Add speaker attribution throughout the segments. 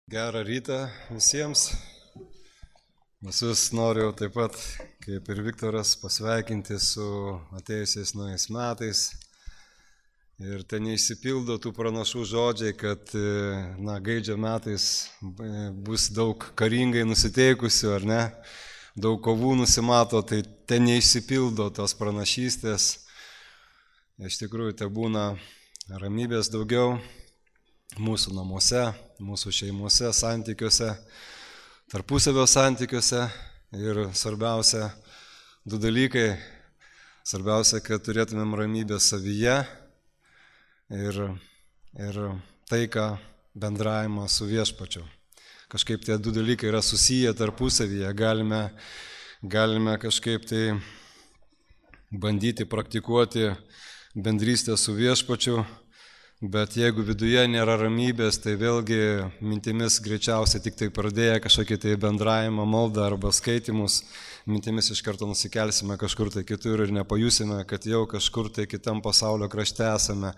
Speaker 1: Gerą rytą visiems. Visus noriu taip pat, kaip ir Viktoras, pasveikinti su atėjusiais naujais metais. Ir ten neišsipildo tų pranašų žodžiai, kad gaidžio metais bus daug karingai nusiteikusių, ar ne? Daug kovų nusimato, tai ten neišsipildo tos pranašystės. Iš tikrųjų, tai būna ramybės daugiau mūsų namuose, mūsų šeimose, santykiuose, tarpusavio santykiuose ir svarbiausia du dalykai. Svarbiausia, kad turėtumėm ramybę savyje ir taiką bendravimą su viešpačiu. Kažkaip tie du dalykai yra susiję tarpusavyje, galime kažkaip tai bandyti praktikuoti bendrystę su viešpačiu. Bet jeigu viduje nėra ramybės, tai vėlgi mintimis greičiausiai tik tai pradėję kažkokį tai bendravimą, maldą arba skaitimus, mintimis iš karto nusikelsime kažkur tai kitur ir nepajusime, kad jau kažkur tai kitam pasaulio krašte esame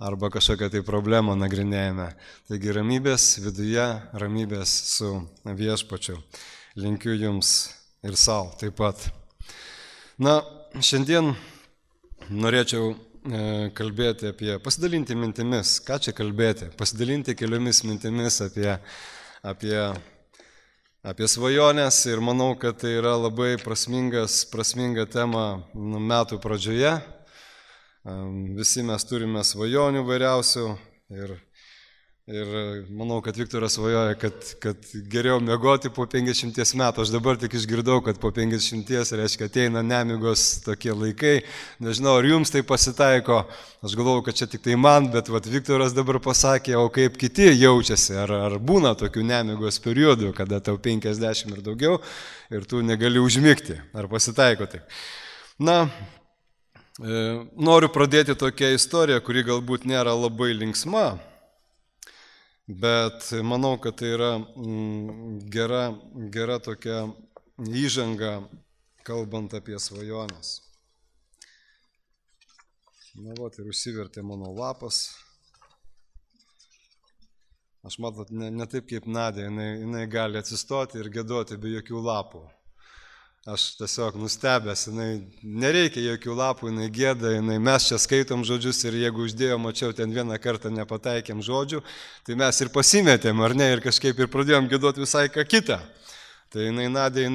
Speaker 1: arba kažkokią tai problemą nagrinėjame. Taigi ramybės viduje, ramybės su viešpačiu. Linkiu jums ir savo taip pat. Šiandien norėčiau kalbėti pasidalinti mintimis, ką čia kalbėti, pasidalinti keliomis mintimis apie svajonės ir manau, kad tai yra labai prasminga tema metų pradžioje. Visi mes turime svajonių vairiausių ir manau, kad Viktoras svajoja, kad geriau miegoti po 50 metų. Aš dabar tik išgirdau, kad po 50 reiškia ateina nemigos tokie laikai. Nežinau, ar jums tai pasitaiko. Aš galvoju, kad čia tik tai man, bet Viktoras dabar pasakė, o kaip kiti jaučiasi. Ar būna tokių nemigos periodų, kada tau 50 ir daugiau ir tu negali užmigti. Ar pasitaiko taip? Noriu pradėti tokią istoriją, kuri galbūt nėra labai linksma. Bet manau, kad tai yra gera tokia įžanga, kalbant apie svajonės. Ir užsivertė mano lapas. Aš matot, ne taip kaip Nadė, jinai gali atsistoti ir giedoti be jokių lapų. Aš tiesiog nustebęs, nereikia jokių lapų, jinai gieda, mes čia skaitom žodžius ir jeigu uždėjom, mačiau, ten vieną kartą nepataikėm žodžių, tai mes ir pasimetėm, ar ne, ir kažkaip ir pradėjom giedoti visai ką kitą. Tai Nadė,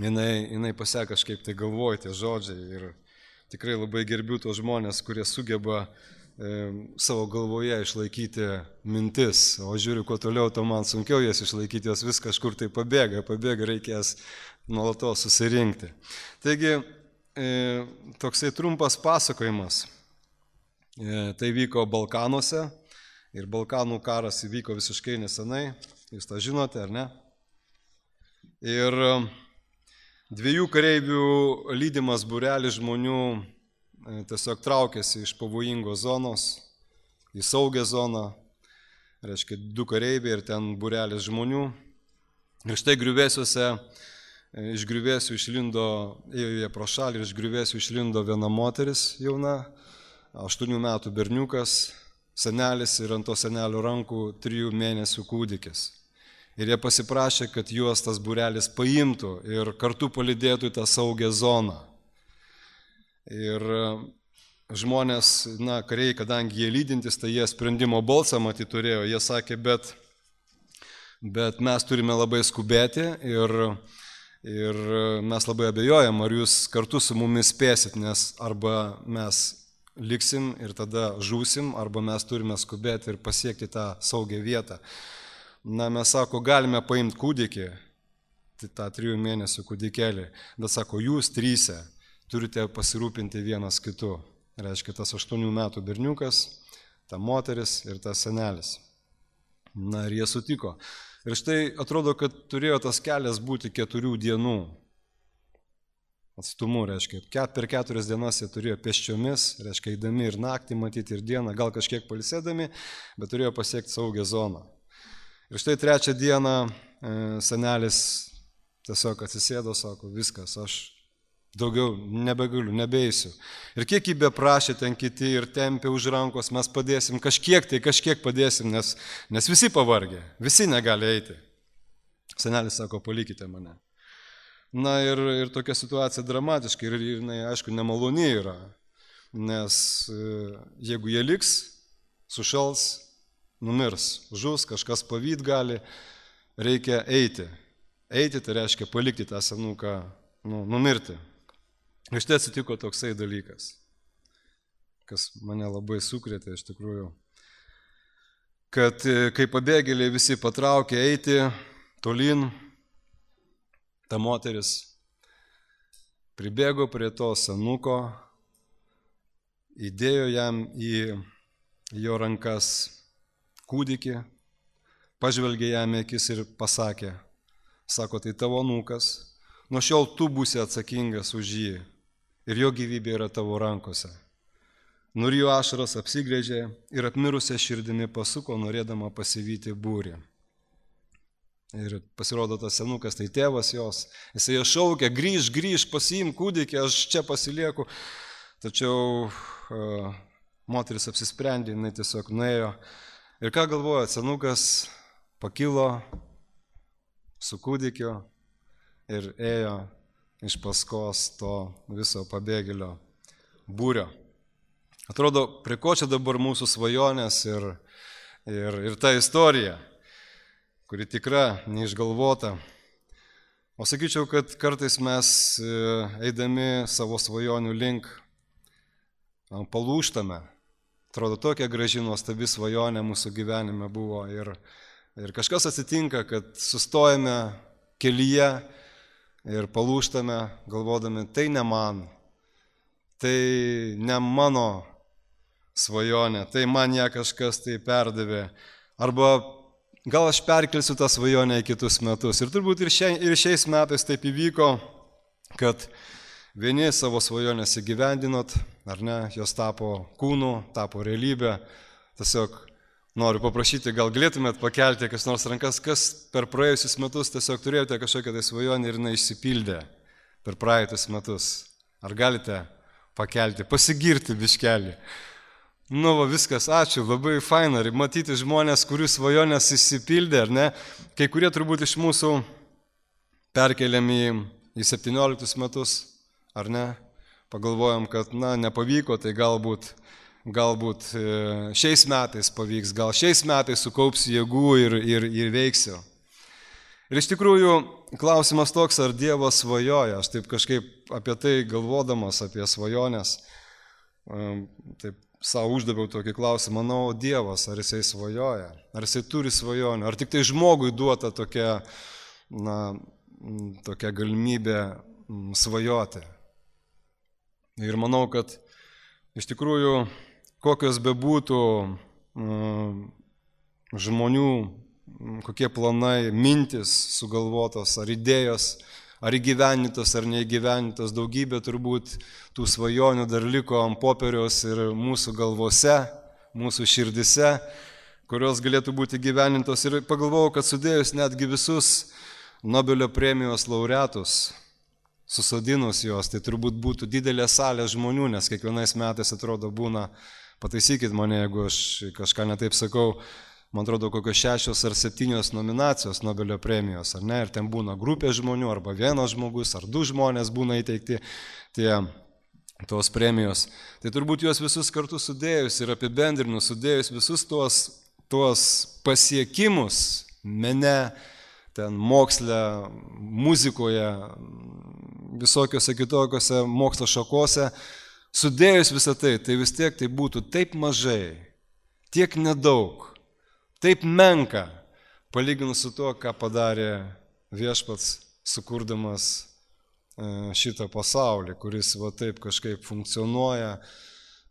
Speaker 1: jinai pasakė kažkaip tai galvoja tie žodžiai ir tikrai labai gerbiu tos žmonės, kurie sugeba savo galvoje išlaikyti mintis, o žiūriu, kuo toliau, to man sunkiau jas išlaikyti, jos vis kažkur tai pabėga, reikės nuolatos susirinkti. Taigi, toksai trumpas pasakojimas. Tai vyko Balkanuose ir Balkanų karas įvyko visiškai nesenai, jūs tą žinote, ar ne? Ir dviejų kareivių lydimas būrelis žmonių tiesiog traukėsi iš pavojingos zonos į saugią zoną, reiškia 2 kareiviai ir ten būrelis žmonių. Ir štai griuvėsiuose, iš griuvėsių išlindo, ėjo jie pro šalį ir iš griuvėsių išlindo viena moteris jauna, 8 metų berniukas, senelis ir ant to senelio rankų 3 mėnesių kūdikis. Ir jie pasiprašė, kad juos tas būrelis paimtų ir kartu palydėtų į tą saugią zoną. Ir žmonės, kariai, kadangi jie lydintis, tai jie sprendimo balsą matyt turėjo, jie sakė, bet mes turime labai skubėti ir mes labai abejojam, ar jūs kartu su mumis spėsit, nes arba mes liksim ir tada žūsim, arba mes turime skubėti ir pasiekti tą saugią vietą. Mes sako, galime paimti kūdikį, tą 3 mėnesių kūdikėlį, bet sako, jūs 3 turite pasirūpinti vienas kitu. Reiškia, tas 8 metų berniukas, ta moteris ir tas senelis. Ir jie sutiko. Ir štai atrodo, kad turėjo tas kelias būti 4 dienų atstumu, reiškia, per 4 dienas jie turėjo pėsčiomis, reiškia, eidami ir naktį matyti ir dieną, gal kažkiek pailsėdami, bet turėjo pasiekti saugią zoną. Ir štai 3 dieną senelis tiesiog atsisėdo, sako, viskas, aš Daugiau nebegaliu, nebeisiu. Ir kiek jį beprašė ten kiti ir tempė už rankos, mes padėsim, kažkiek padėsim, nes visi pavargė, visi negali eiti. Senelis sako, palikite mane. Na ir tokia situacija dramatiška ir jinai, aišku, nemaloni yra, nes jeigu jie liks, sušals, numirs, žus, kažkas pavyt gali, reikia eiti. Eiti tai reiškia palikti tą senuką, numirti. Ir štai atsitiko toksai dalykas, kas mane labai sukrėtė iš tikrųjų, kad kai pabėgėliai visi patraukė eiti tolyn, ta moteris pribėgo prie to senuko, įdėjo jam į jo rankas kūdikį, pažvelgė jam į akis ir pasakė, sako, tai tavo anūkas, nuo šiol tu būsi atsakingas už jį ir jo gyvybė yra tavo rankose. Nurijo ašaras, apsigrėžė ir apmirusią širdimi pasuko, norėdama pasivyti būrį. Ir pasirodo tas senukas, tai tėvas jos, jisai jo šaukia, grįž, pasiimk kūdikį, aš čia pasilieku. Tačiau moteris apsisprendė, jinai tiesiog nuėjo. Ir ką galvoja, senukas pakilo su kūdikiu ir ėjo iš paskos to viso pabėgėlio būrio. Atrodo, prie ko čia dabar mūsų svajonės ir ta istorija, kuri tikra, neišgalvota. O sakyčiau, kad kartais mes eidami savo svajonių link palūžtame. Atrodo, tokia graži nuostabi svajonė mūsų gyvenime buvo ir kažkas atsitinka, kad sustojame kelyje ir palūžtame, galvodami, tai ne man, tai ne mano svajonė, tai man ją kažkas tai perdavė. Arba gal aš perkelsiu tą svajonę į kitus metus. Ir turbūt ir šiais metais taip įvyko, kad vieni savo svajonės įgyvendinot, ar ne, jos tapo kūnu, tapo realybė. Tiesiog noriu paprašyti, gal galėtumėt pakelti kas nors rankas, kas per praėjusius metus tiesiog turėjote kažkokią tai svajonę ir jinai išsipildė per praeitus metus. Ar galite pakelti, pasigirti biškelį? Viskas, ačiū, labai faina. Ir matyti žmonės, kurių svajonės išsipildė, ar ne? Kai kurie turbūt iš mūsų perkeliami į 17 metus, ar ne? Pagalvojom, kad, nepavyko, tai galbūt šiais metais pavyks, gal šiais metais sukaupsiu jėgų ir veiksiu. Ir iš tikrųjų klausimas toks, ar Dievas svajoja. Aš taip kažkaip apie tai galvodamas, apie svajonės, taip savo uždaviau tokį klausimą, Dievas, ar jisai svajoja, ar jisai turi svajonių, ar tik tai žmogui duota tokia galimybė svajoti. Ir manau, kad iš tikrųjų kokios bebūtų žmonių, kokie planai, mintis sugalvotos, ar idėjos, ar įgyvenintos, ar neįgyvenintos, daugybė turbūt tų svajonių dar liko ant popieriaus ir mūsų galvose, mūsų širdise, kurios galėtų būti įgyvenintos. Ir pagalvojau, kad sudėjus netgi visus Nobelio premijos laureatus, susodinus juos, tai turbūt būtų didelė salė žmonių, nes kiekvienais metais atrodo būna, pataisykit mane, jeigu aš kažką netaip sakau, man atrodo kokios 6 ar 7 nominacijos Nobelio premijos, ar ne, ir ten būna grupė žmonių, arba vienas žmogus, ar 2 žmonės būna įteikti tos premijos. Tai turbūt juos visus kartu sudėjus ir apibendrinus, sudėjus visus tuos pasiekimus mene, ten moksle, muzikoje, visokiose kitokiose mokslo šakose, sudėjus visą tai, tai vis tiek tai būtų taip mažai, tiek nedaug, taip menka, palyginus su to, ką padarė Viešpats, sukurdamas šitą pasaulį, kuris taip kažkaip funkcionuoja,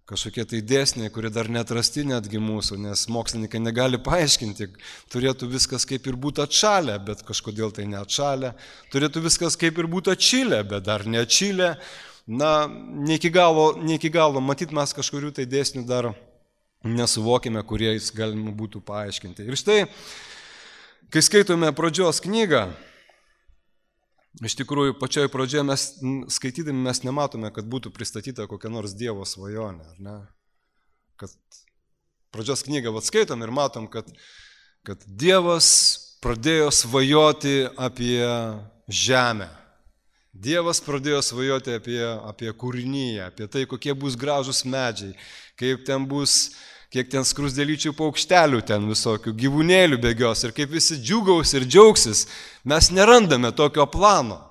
Speaker 1: kažkokie tai dėsniai, kurie dar neatrasti netgi mūsų, nes mokslininkai negali paaiškinti, turėtų viskas kaip ir būtų atšalę, bet kažkodėl tai neatšalę, turėtų viskas kaip ir būtų atšilę, bet dar neatšilę, ne iki galo, matyt, mes kažkurių tai dėsnių dar nesuvokime, kuriais galima būtų paaiškinti. Ir štai, kai skaitome pradžios knygą, Iš tikrųjų, pačioje pradžioje mes skaitydami mes nematome, kad būtų pristatyta kokia nors Dievo svajonė, ar ne? Kad pradžios knygą skaitom ir matom, kad Dievas pradėjo svajoti apie žemę. Dievas pradėjo svajoti apie kūrinyje, apie tai, kokie bus gražus medžiai, kaip ten bus, kiek ten skrusdėlyčių paukštelių ten visokių, gyvūnėlių bėgios ir kaip visi džiugaus ir džiaugsis. Mes nerandame tokio plano.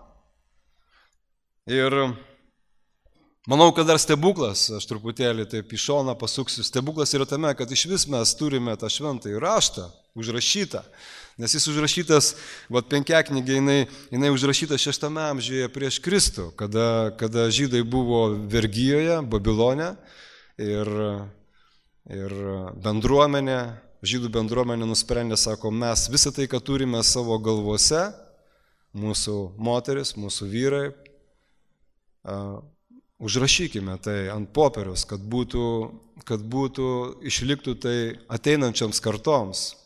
Speaker 1: Ir manau, kad dar stebuklas, aš truputėlį taip į šoną pasuksiu, stebuklas yra tame, kad iš vis mes turime tą šventąjį raštą užrašytą. Nes jis užrašytas, Penkiaknygė, jinai užrašyta 6 amžiuje prieš Kristų, kada žydai buvo vergijoje, Babilone ir bendruomenė, žydų bendruomenė nusprendė, sako, mes visą tai, ką turime savo galvose, mūsų moteris, mūsų vyrai, užrašykime tai ant popieriaus, kad būtų išliktų tai ateinančioms kartoms.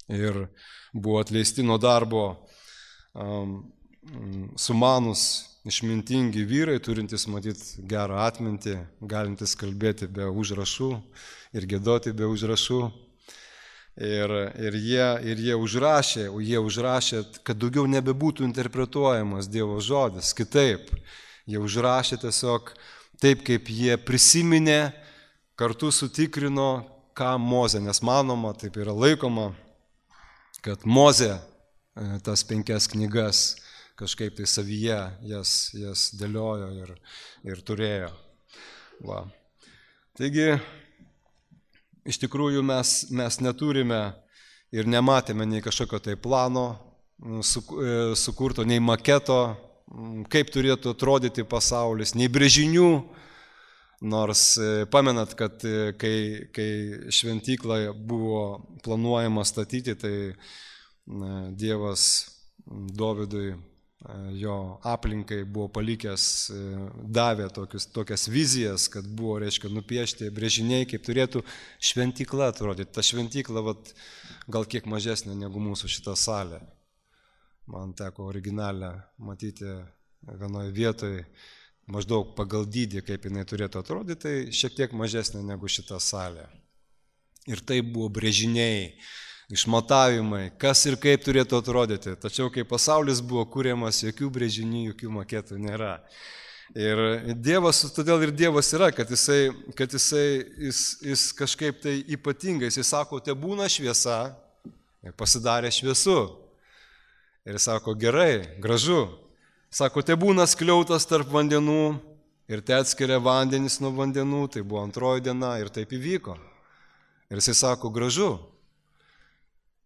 Speaker 1: Ir buvo atleisti nuo darbo sumanus, išmintingi vyrai, turintys matyti gerą atmintį, galintys kalbėti be užrašų ir giedoti be užrašų. Ir jie užrašė, kad daugiau nebebūtų interpretuojamas Dievo žodis kitaip. Jie užrašė tiesiog taip, kaip jie prisiminė, kartu sutikrino, ką Mozė, nes manoma, taip yra laikoma, kad Mozė tas 5 knygas kažkaip tai savyje jas dėliojo ir turėjo. Va. Taigi, iš tikrųjų mes neturime ir nematėme nei kažkokio tai plano sukurto, nei maketo, kaip turėtų atrodyti pasaulis, nei brėžinių, nors pamenat, kad kai šventykla buvo planuojama statyti, tai Dievas Dovydui, jo aplinkai buvo palikęs, davė tokias vizijas, kad buvo, reiškia, nupiešti brėžiniai, kaip turėtų šventykla atrodyti. Ta šventykla gal kiek mažesnė negu mūsų šita salė. Man teko originalią matyti vienoje vietoje, maždaug pagal dydį, kaip jinai turėtų atrodyti, tai šiek tiek mažesnė negu šita salė. Ir tai buvo brėžiniai, išmatavimai, kas ir kaip turėtų atrodyti. Tačiau, kai pasaulis buvo kuriamas, jokių brėžinių, jokių maketų nėra. Ir Dievas, todėl ir Dievas yra, kad jis kažkaip tai ypatingai, jis sako, te būna šviesa, ir pasidarė šviesu. Ir jis sako, gerai, gražu. Sako, te būna skliautas tarp vandenų ir te atskiria vandenis nuo vandenų, tai buvo 2 diena ir taip įvyko. Ir jis sako, gražu.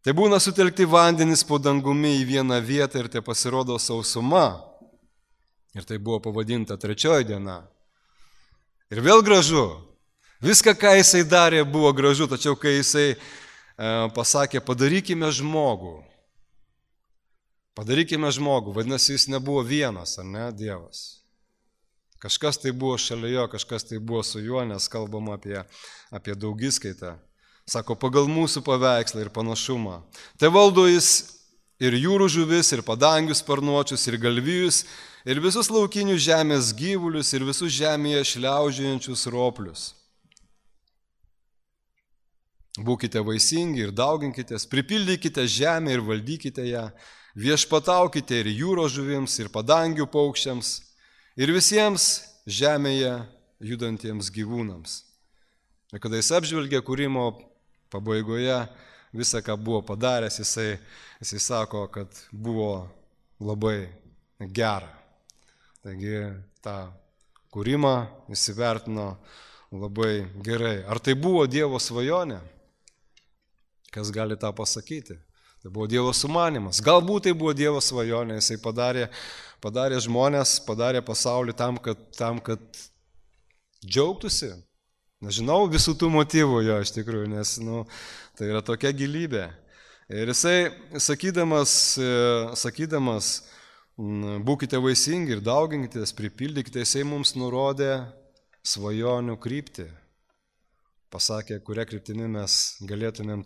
Speaker 1: Tai būna sutelkti vandenis po dangumi į vieną vietą ir tai pasirodo sausuma. Ir tai buvo pavadinta 3 diena. Ir vėl gražu. Viską, ką jisai darė, buvo gražu, tačiau kai jisai pasakė, padarykime žmogų. Padarykime žmogų, vadinasi, jis nebuvo vienas, ar ne, Dievas. Kažkas tai buvo šalia jo, kažkas tai buvo su juo, nes kalbam apie daugiskaitą. Sako, pagal mūsų paveikslą ir panašumą. Tai valdo jis ir jūrų žuvis, ir padangius sparnuočius, ir galvijus, ir visus laukinius žemės gyvulius, ir visus žemėje šliaužiojančius roplius. Būkite vaisingi ir dauginkitės, pripildykite žemę ir valdykite ją, viešpataukite ir jūros žuvims, ir padangių paukščiams, ir visiems žemėje judantiems gyvūnams. Ir kada jis apžvelgė kūrimo pabaigoje visą, ką buvo padaręs, jisai sako, kad buvo labai gera. Taigi tą kūrimą įsivertino labai gerai. Ar tai buvo Dievo svajonė? Kas gali tą pasakyti? Tai buvo Dievo sumanimas. Galbūt tai buvo Dievo svajonė, jisai padarė žmonės, padarė pasaulį tam, kad džiaugtųsi. Nežinau visų tų motyvų jo iš tikrųjų, nes tai yra tokia gilybė. Ir jisai, sakydamas, būkite vaisingi ir dauginkitės, pripildykite, jisai mums nurodė svajonių kryptį. pasakė, kuria kryptimi mes turėtumėm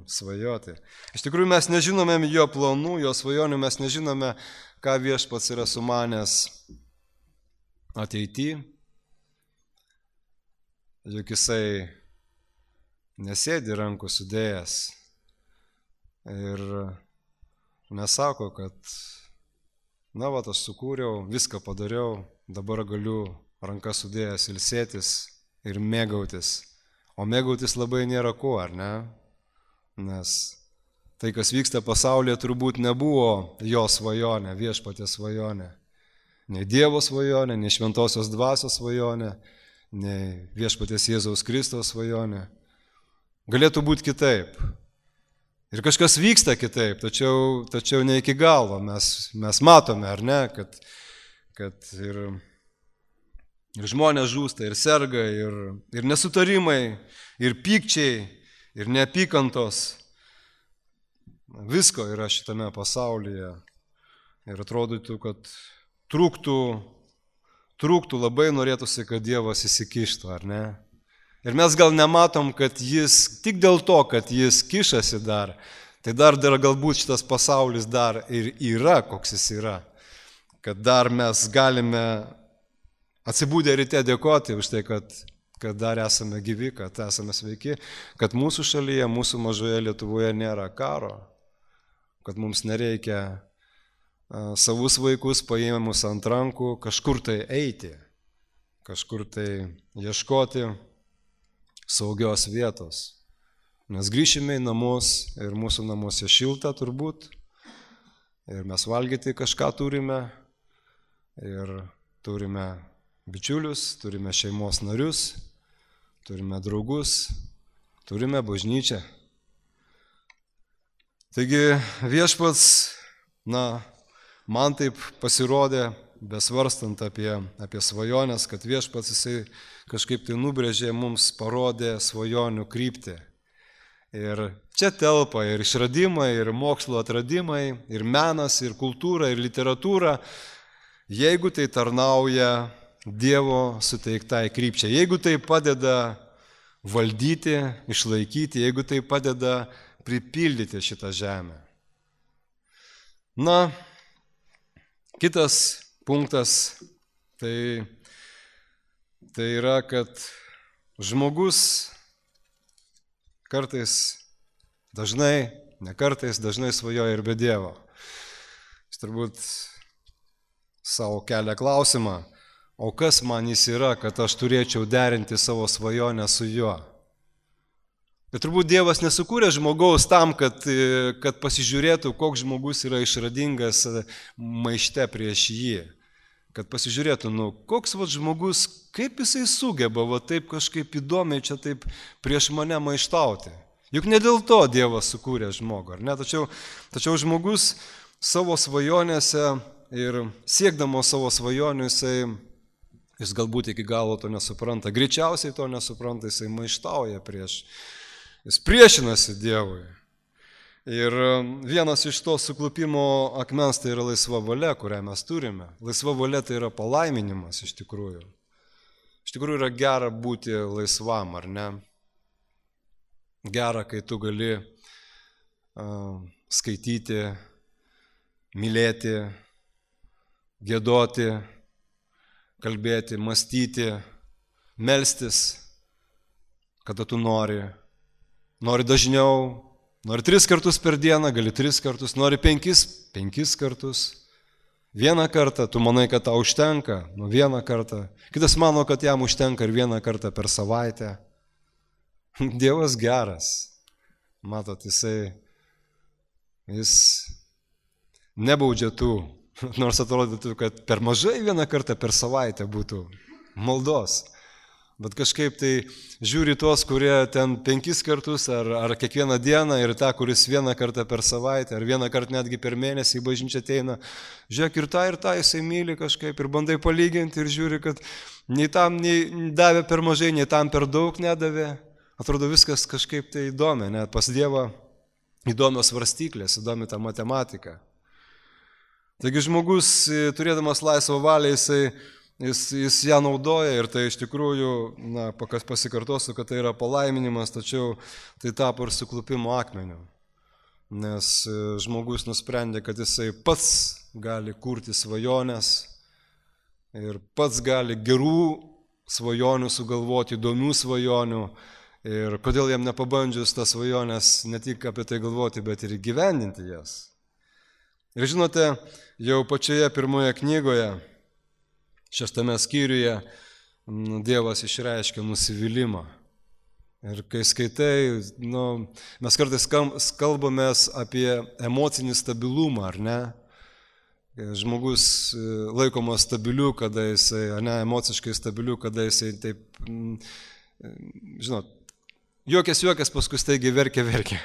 Speaker 1: svajoti. Iš tikrųjų mes nežinome jo planų, jo svajonių, mes nežinome, ką Viešpats yra sumanęs ateityje. Juk jisai nesėdi rankų sudėjęs ir nesako, kad aš sukūriau, viską padariau, dabar galiu rankas sudėjęs ilsėtis ir mėgautis. O mėgautis labai nėra ko, ar ne? Nes tai, kas vyksta pasaulyje, turbūt nebuvo jo svajonė, Viešpaties svajonė. Nei Dievo svajonė, nei Šventosios Dvasios svajonė, nei Viešpaties Jėzaus Kristaus svajonė. Galėtų būti kitaip. Ir kažkas vyksta kitaip, tačiau ne iki galo. Mes matome, ar ne, kad ir žmonės žūsta, ir serga, ir nesutarimai, ir pykčiai, ir neapykantos. Visko yra šitame pasaulyje. Ir atrodytų, kad trūktų labai norėtųsi, kad Dievas įsikištų, ar ne? Ir mes gal nematom, kad jis, tik dėl to, kad jis kišasi dar, tai dar galbūt šitas pasaulis dar ir yra, koks jis yra. Kad dar mes galime atsibūdę ryte dėkoti už tai, kad dar esame gyvi, kad esame sveiki, kad mūsų šalyje, mūsų mažoje Lietuvoje nėra karo, kad mums nereikia savus vaikus paėmus ant rankų kažkur tai eiti, kažkur tai ieškoti saugios vietos. Mes grįšime į namus ir mūsų namuose šilta turbūt, ir mes valgyti kažką turime, ir turime bičiulius, turime šeimos narius, turime draugus, turime bažnyčią. Taigi Viešpats, man taip pasirodė, besvarstant apie svajonės, kad Viešpats jisai kažkaip tai nubrėžė, mums parodė svajonių kryptį. Ir čia telpa ir išradimai, ir mokslo atradimai, ir menas, ir kultūra, ir literatūra, jeigu tai tarnauja Dievo suteiktai krypčiai, jeigu tai padeda valdyti, išlaikyti, jeigu tai padeda pripildyti šitą žemę. Kitas punktas tai yra, kad žmogus kartais, dažnai svajoja ir be Dievo. Jis turbūt savo kelia klausimą, o kas man jis yra, kad aš turėčiau derinti savo svajonę su juo. Bet turbūt Dievas nesukūrė žmogaus tam, kad pasižiūrėtų, koks žmogus yra išradingas maište prieš jį. Kad pasižiūrėtų, koks žmogus, kaip jisai sugeba taip kažkaip įdomiai čia taip prieš mane maištauti. Juk ne dėl to Dievas sukūrė žmogų, ar ne? Tačiau žmogus savo svajonėse ir siekdamos savo svajonių, jis galbūt iki galo to nesupranta. Greičiausiai to nesupranta, jisai maištauja jis priešinasi Dievui. Ir vienas iš to suklupimo akmens tai yra laisva valia, kurią mes turime. Laisva valia tai yra palaiminimas iš tikrųjų. Iš tikrųjų yra gera būti laisvam, ar ne? Gera, kai tu gali skaityti, mylėti, giedoti, kalbėti, mąstyti, melstis, kada tu nori dažniau, nori 3 kartus per dieną, gali 3 kartus, nori 5 kartus. Vieną kartą, tu manai, kad tau užtenka, 1 kartą. Kitas mano, kad jam užtenka ir 1 kartą per savaitę. Dievas geras. Matot, jis nebaudžia tų, nors atrodytų, kad per mažai 1 kartą per savaitę būtų maldos. Bet kažkaip tai žiūri tuos, kurie ten 5 kartus ar kiekvieną dieną ir tą, kuris 1 kartą per savaitę ar 1 kartą netgi per mėnesį į bažnyčią ateina. Žiūrėk, ir tą jisai myli kažkaip ir bandai palyginti ir žiūri, kad nei tam nei davė per mažai, nei tam per daug nedavė. Atrodo viskas kažkaip tai įdomi, net pas Dievą įdomios svarstyklės, įdomi ta matematika. Taigi žmogus, turėdamas laisvą valią, jis ją naudoja ir tai iš tikrųjų, pasikartosiu, kad tai yra palaiminimas, tačiau tai tapo ir suklupimo akmeniu. Nes žmogus nusprendė, kad jisai pats gali kurti svajonės ir pats gali gerų svajonių sugalvoti, įdomių svajonių. Ir kodėl jam nepabandžius tas svajonės ne tik apie tai galvoti, bet ir įgyvendinti jas. Ir žinote, jau pačioje pirmoje knygoje, 6 skyriuje, Dievas išreiškia nusivylimą. Ir kai skaitai, mes kartais kalbamės apie emocinį stabilumą, ar ne? Žmogus laikomas stabiliu, kada jisai, emociškai stabiliu, kada jisai taip, žinot, juokės, paskui staigiai verkia.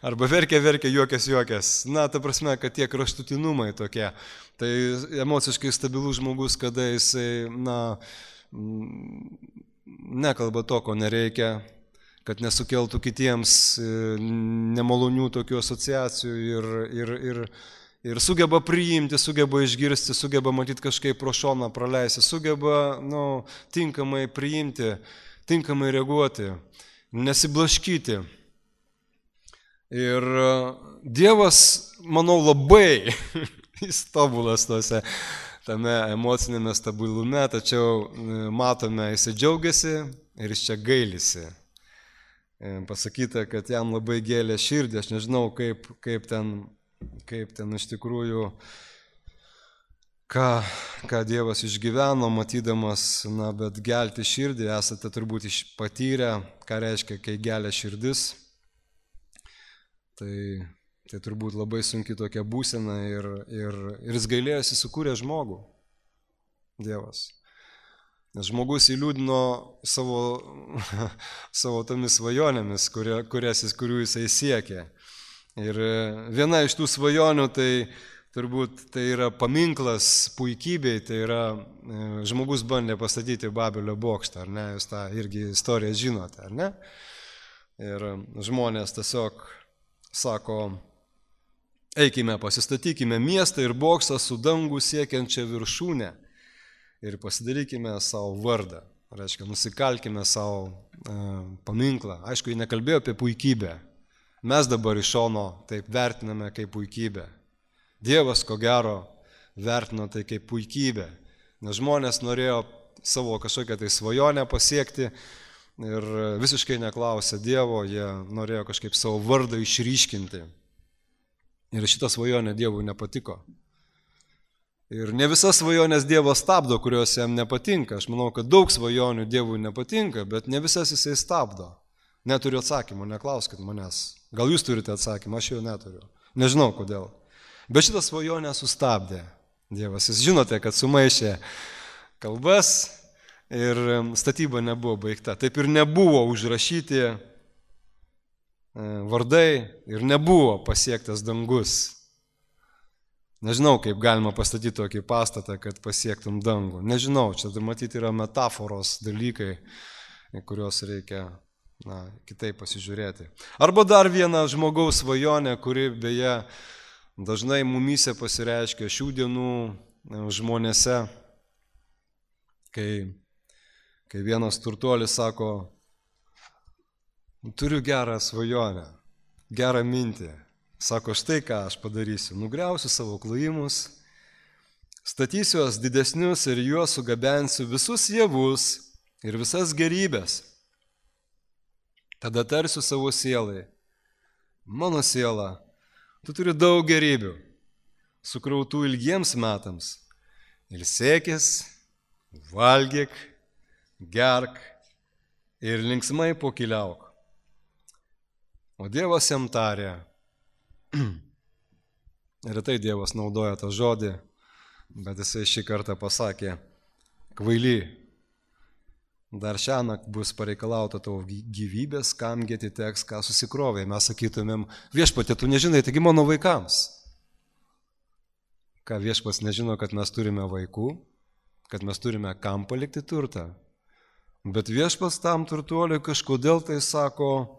Speaker 1: Arba verkia, juokės. Ta prasme, kad tie kraštutinumai tokie. Tai emociškai stabilus žmogus, kada jisai, nekalba to, ko nereikia, kad nesukeltų kitiems nemalonių tokių asociacijų ir sugeba priimti, sugeba išgirsti, sugeba matyti kažkaip pro šoną praleisti, sugeba tinkamai priimti, tinkamai reaguoti, nesiblaškyti. Ir Dievas, manau, labai jis tobulas tame emocinėme stabilume, tačiau matome, jis džiaugiasi ir jis čia gailisi. Pasakyta, kad jam labai gėlė širdį, aš nežinau, kaip ten iš tikrųjų, ką Dievas išgyveno, matydamas, bet gelti širdį, esate turbūt patyrę, ką reiškia, kai gelia širdis. Tai turbūt labai sunki tokia būsena ir jis gailėjosi, sukūrė žmogų, Dievas. Nes žmogus įliūdino savo tomis svajonėmis, kurių jisai siekė. Ir viena iš tų svajonių, tai turbūt tai yra paminklas puikybei, tai yra žmogus bandė pastatyti Babelio bokštą, ar ne? Jūs tą irgi istoriją žinote, ar ne? Ir žmonės tiesiog sako, eikime, pasistatykime miestą ir bokštą su dangų siekiančia viršūne. Ir pasidarykime savo vardą, reiškia, nusikalkime savo paminklą. Aišku, jie nekalbėjo apie puikybę. Mes dabar iš šono taip vertiname kaip puikybę. Dievas, ko gero, vertino tai kaip puikybę, nes žmonės norėjo savo kažkokią tai svajonę pasiekti ir visiškai neklausė Dievo, jie norėjo kažkaip savo vardą išryškinti. Ir šita svajonė Dievui nepatiko. Ir ne visas svajonės Dievas stabdo, kurios jam nepatinka. Aš manau, kad daug svajonių Dievui nepatinka, bet ne visas jisai stabdo. Neturiu atsakymų, neklauskit manęs. Gal jūs turite atsakymą, aš jo neturiu. Nežinau kodėl. Bet šitą svajonę sustabdė Dievas. Jūs žinote, kad sumaišė kalbas ir statyba nebuvo baigta. Taip ir nebuvo užrašyti vardai ir nebuvo pasiektas dangus. Nežinau, kaip galima pastatyti tokį pastatą, kad pasiektum dangų. Nežinau, čia matyti yra metaforos dalykai, kuriuos reikia kitaip pasižiūrėti. Arba dar viena žmogaus svajonė, kuri beje dažnai mumyse pasireiškia šių dienų žmonėse, kai vienas turtuolis sako, turiu gerą svajonę, gerą mintį. Sako, štai ką aš padarysiu, nugriausiu savo klojimus, statysiu juos didesnius ir juos sugabensiu visus javus ir visas gerybės. Tada tarsiu savo sielai, mano siela, tu turi daug gerybių, sukrautų ilgiems metams. Ilsėkis, valgyk, gerk ir linksmai pokyliauk. O Dievas jam tarė, retai Dievas naudoja tą žodį, bet jisai šį kartą pasakė, kvaily, dar šiąnakt bus pareikalauta tavo gyvybės, kamgi atiteks, ką susikrovė. Mes sakytumėm, viešpatie, tu nežinai, taigi mano vaikams. Ką viešpas nežino, kad mes turime vaikų, kad mes turime kam palikti turtą. Bet viešpas tam turtuoliui kažkodėl tai sako,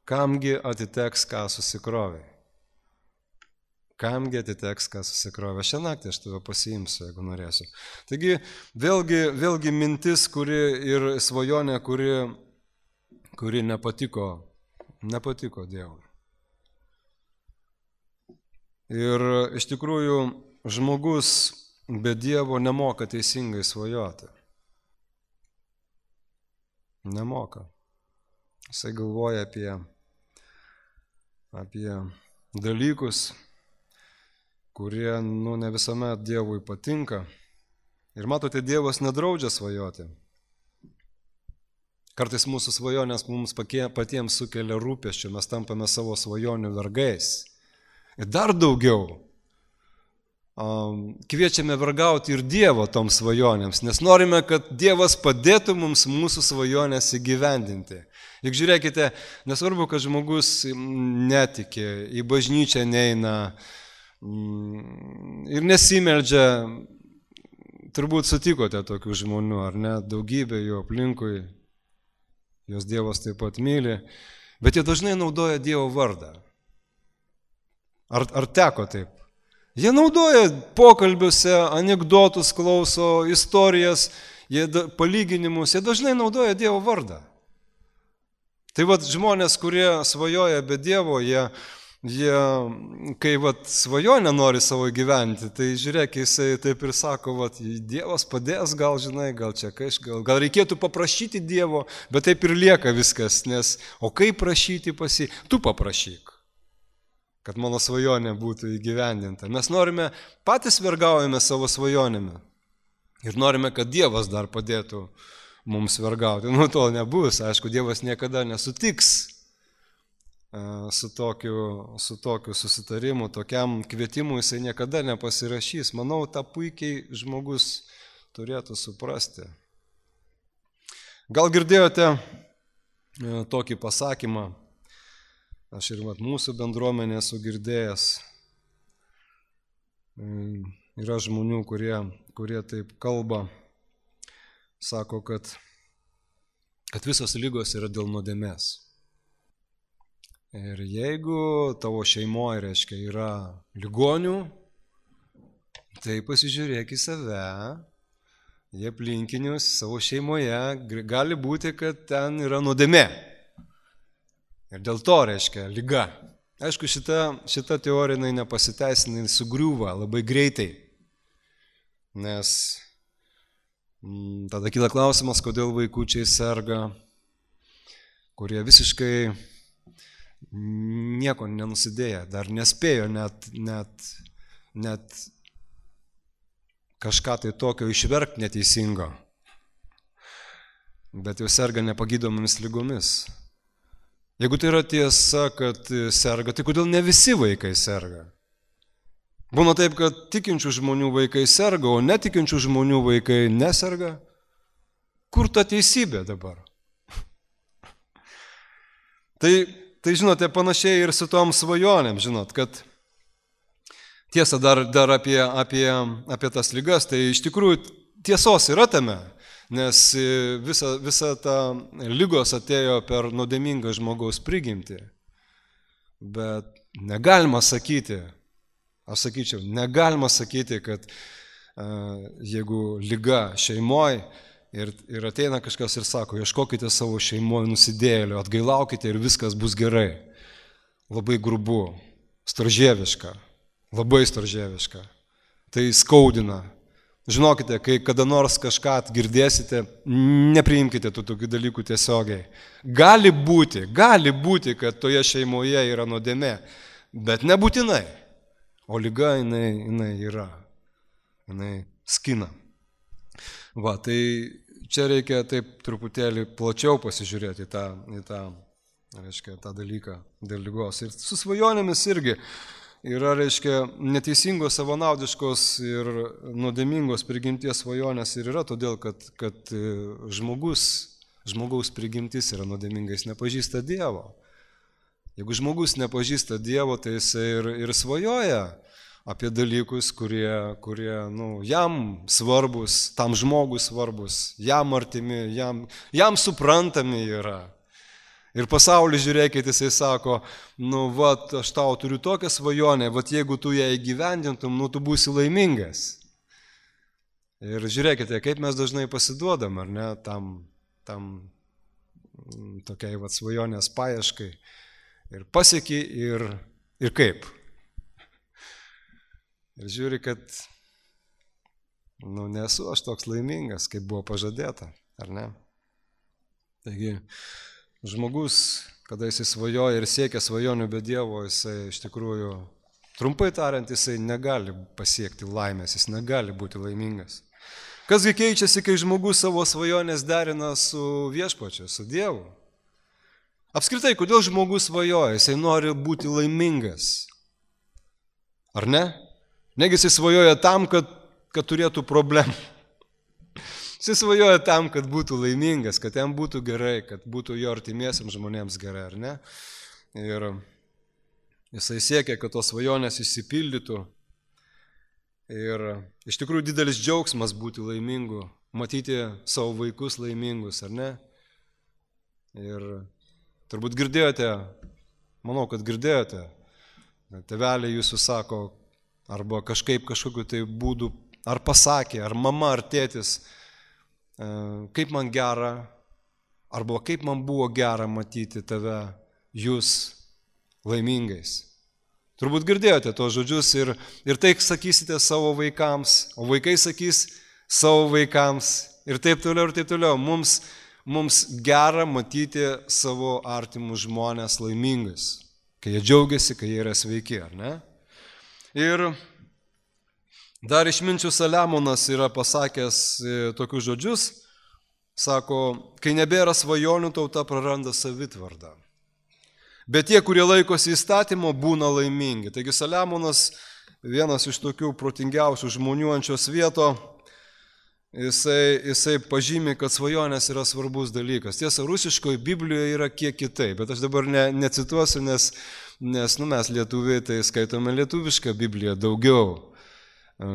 Speaker 1: kamgi atiteks, ką susikrovė. kamgi atiteks, kas susikrovė. Šią naktį aš tave pasiimsiu, jeigu norėsiu. Taigi, vėlgi mintis, kuri ir svajonė, kuri nepatiko Dievui. Ir iš tikrųjų žmogus be Dievo nemoka teisingai svajoti. Nemoka. Jisai galvoja apie dalykus, kurie ne visuomet Dievui patinka. Ir matote, Dievas nedraudžia svajoti. Kartais mūsų svajonės mums patiems sukelia rūpesčių, mes tampame savo svajonių vergais. Ir dar daugiau kviečiame vergauti ir Dievo toms svajonėms, nes norime, kad Dievas padėtų mums mūsų svajonės įgyvendinti. Juk žiūrėkite, nesvarbu, kad žmogus netiki, į bažnyčią neina ir nesimeldžia, turbūt sutikote tokių žmonių, ar ne, daugybė jų aplinkui, jos Dievas taip pat myli, bet jie dažnai naudoja Dievo vardą. Ar teko taip? Jie naudoja pokalbiuose, anekdotus klauso, istorijas, palyginimus, jie dažnai naudoja Dievo vardą. Tai žmonės, kurie svajoja be Dievo, jie kai svajonę nori savo gyventi, tai žiūrėk, jisai taip ir sako, Dievas padės, gal čia gal reikėtų paprašyti Dievo, bet taip ir lieka viskas, nes o kaip prašyti pas jį, tu paprašyk, kad mano svajonė būtų įgyvendinta. Mes norime, patys vergaujame savo svajonėme ir norime, kad Dievas dar padėtų mums vergauti. To nebus, aišku, Dievas niekada nesutiks su tokiu susitarimu, tokiam kvietimu jisai niekada nepasirašys. Manau, tą puikiai žmogus turėtų suprasti. Gal girdėjote tokį pasakymą, aš ir mūsų bendruomenė esu girdėjęs. Yra žmonių, kurie taip kalba, sako, kad visos ligos yra dėl nuodėmės. Ir jeigu tavo šeimoje, reiškia, yra ligonių, tai pasižiūrėk į save, į aplinkinius savo šeimoje, gali būti, kad ten yra nuodėmė. Ir dėl to, reiškia, liga. Aišku, šita teorija nepasiteisina, sugriūva labai greitai, nes tada kyla klausimas, kodėl vaikučiai serga, kurie visiškai nieko nenusidėję, dar nespėjo net kažką tai tokio išverkti neteisingo, bet jau serga nepagydomomis ligomis. Jeigu tai yra tiesa, kad serga, tai kodėl ne visi vaikai serga? Būna taip, kad tikinčių žmonių vaikai serga, o netikinčių žmonių vaikai neserga. Kur ta teisybė dabar? Tai žinote, panašiai ir su tom svajonėm, žinot, kad tiesa dar apie tas ligas, tai iš tikrųjų tiesos yra tame, nes visa ta lygos atėjo per nuodėmingą žmogaus prigimtį. Bet negalima sakyti, aš sakyčiau, negalima sakyti, kad jeigu liga šeimoje ir ateina kažkas ir sako, ieškokite savo šeimoje nusidėjėlio, atgailaukite ir viskas bus gerai. Labai grubu, storžieviška, labai storžieviška. Tai skaudina. Žinokite, kai kada nors kažką girdėsite, nepriimkite tų tokių dalykų tiesiogiai. Gali būti, kad toje šeimoje yra nuodėmė, bet nebūtinai. O liga jinai yra, jinai skina. Tai čia reikia taip truputėlį plačiau pasižiūrėti į tą dalyką dėl ligos. Ir su svajonėmis irgi yra, reiškia, neteisingos, savanaudiškos ir nuodėmingos prigimties svajonės ir yra todėl, kad žmogaus prigimtis yra nuodėminga, jis nepažįsta Dievo. Jeigu žmogus nepažįsta Dievo, tai jis ir svajoja apie dalykus, kurie jam svarbus, tam žmogui svarbus, jam artimi, jam suprantami yra. Ir pasaulis, žiūrėkit, jisai sako, nu, vat, aš tau turiu tokią svajonę, vat, jeigu tu ją įgyvendintum, nu, tu būsi laimingas. Ir žiūrėkite, kaip mes dažnai pasiduodam, ar ne, tam tokiai, vat, svajonės paieškai. Ir pasieki, ir kaip. Ir žiūri, kad, nu, nesu aš toks laimingas, kaip buvo pažadėta, ar ne? Taigi, žmogus, kada jisai svajoja ir siekia svajonių be Dievo, jisai iš tikrųjų, trumpai tariant, jisai negali pasiekti laimės, jis negali būti laimingas. Kasgi keičiasi, kai žmogus savo svajonės derina su Viešpačiu, su Dievu? Apskritai, kodėl žmogus svajoja? Jisai nori būti laimingas. Ar ne? Negi jisai svajoja tam, kad turėtų problemų. Jisai svajoja tam, kad būtų laimingas, kad jam būtų gerai, kad būtų jo artimiesiams žmonėms gerai, ar ne? Ir jisai siekia, kad tos svajonės išsipildytų. Ir iš tikrųjų didelis džiaugsmas būti laimingu, matyti savo vaikus laimingus, ar ne? Ir turbūt girdėjote, manau, kad girdėjote, tėveliai jūsų sako, arba kažkokiu tai būdu, ar pasakė, ar mama, ar tėtis, kaip man gera, arba kaip man buvo gera matyti tave, jūs laimingais. Turbūt girdėjote tos žodžius ir tai sakysite savo vaikams, o vaikai sakys savo vaikams ir taip toliau, ir taip toliau. Mums gera matyti savo artimus žmonės laimingais, kai jie džiaugiasi, kai jie yra sveiki, ar ne? Ir dar išminčių Saliamonas yra pasakęs tokius žodžius, sako, kai nebėra svajonių, tauta praranda savitvardą. Bet tie, kurie laikosi įstatymo, būna laimingi. Taigi Saliamonas, vienas iš tokių protingiausių žmonių ant šios vieto, jisai pažymi, kad svajonės yra svarbus dalykas. Tiesa, rusiškoje Biblijoje yra kiek kitaip, bet aš dabar necituosiu, nes mes lietuviai tai skaitome lietuvišką Bibliją daugiau.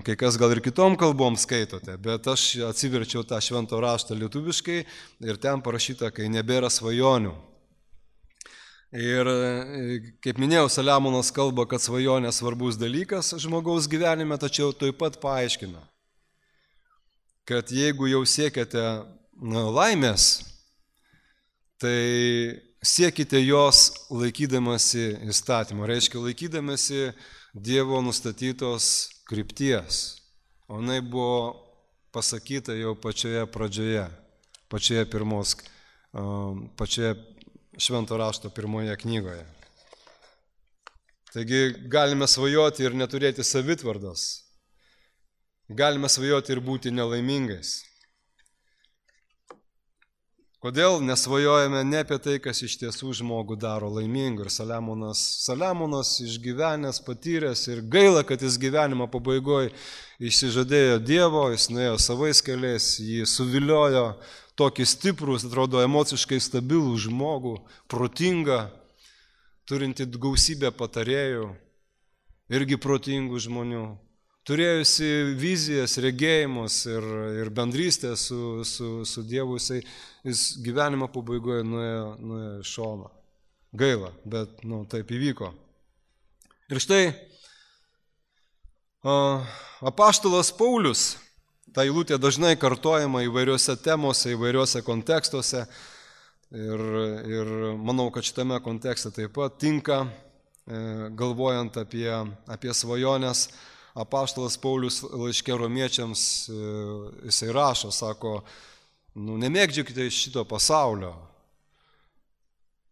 Speaker 1: Kai kas gal ir kitom kalbom skaitote, bet aš atsiverčiau tą švento raštą lietuviškai ir ten parašyta, kai nebėra svajonių. Ir kaip minėjau, Saliamonas kalba, kad svajonė svarbus dalykas žmogaus gyvenime, tačiau taip pat paaiškina, kad jeigu jau siekiate laimės, tai siekite jos laikydamasi įstatymo, reiškia laikydamasi Dievo nustatytos krypties. O jinai buvo pasakyta jau pačioje pradžioje, pačioje švento rašto pirmoje knygoje. Taigi galime svajoti ir neturėti savitvardos. Galime svajoti ir būti nelaimingais. Kodėl nesvajojame ne apie tai, kas iš tiesų žmogų daro laimingu. Ir Saliamonas išgyvenęs, patyręs ir gaila, kad jis gyvenimo pabaigoje išsižadėjo Dievo, jis nuėjo savais keliais, jį suviliojo tokį stiprų, atrodo, emociškai stabilų žmogų, protingą, turinti gausybę patarėjų, irgi protingų žmonių, turėjusi vizijas, regėjimus ir bendrystę su Dievu, jis gyvenimo pabaigoje nuėjo iš šono. Gaila, bet taip įvyko. Ir štai apaštalas Paulius, ta eilutė dažnai kartojama įvairiuose temose, įvairiuose kontekstuose ir manau, kad šitame kontekste taip pat tinka, galvojant apie svajonės. Apaštalas Paulius laiške romiečiams jisai rašo, sako, nemėgdžiokite šito pasaulio,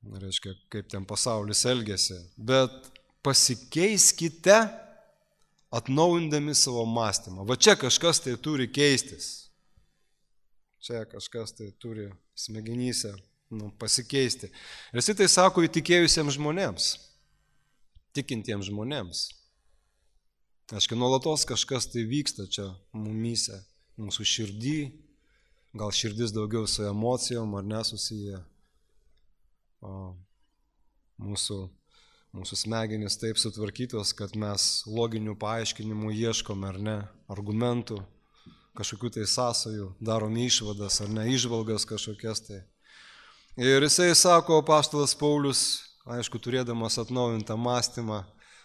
Speaker 1: reiškia, kaip ten pasaulis elgiasi, bet pasikeiskite atnaujindami savo mąstymą. Va čia kažkas tai turi keistis. Čia kažkas tai turi smegenyse pasikeisti. Ir jis tai sako įtikėjusiems žmonėms, tikintiems žmonėms. Aiškiai, nuolatos kažkas tai vyksta čia mumyse, mūsų širdį, gal širdis daugiau su emocijom ar nesusiję. Mūsų smegenys taip sutvarkytos, kad mes loginių paaiškinimų ieškome ar ne, argumentų, kažkokių tai sąsajų, darom išvadas ar ne, įžvalgas kažkokias tai. Ir jisai sako, apaštalas Paulius, aišku, turėdamas atnaujintą mąstymą,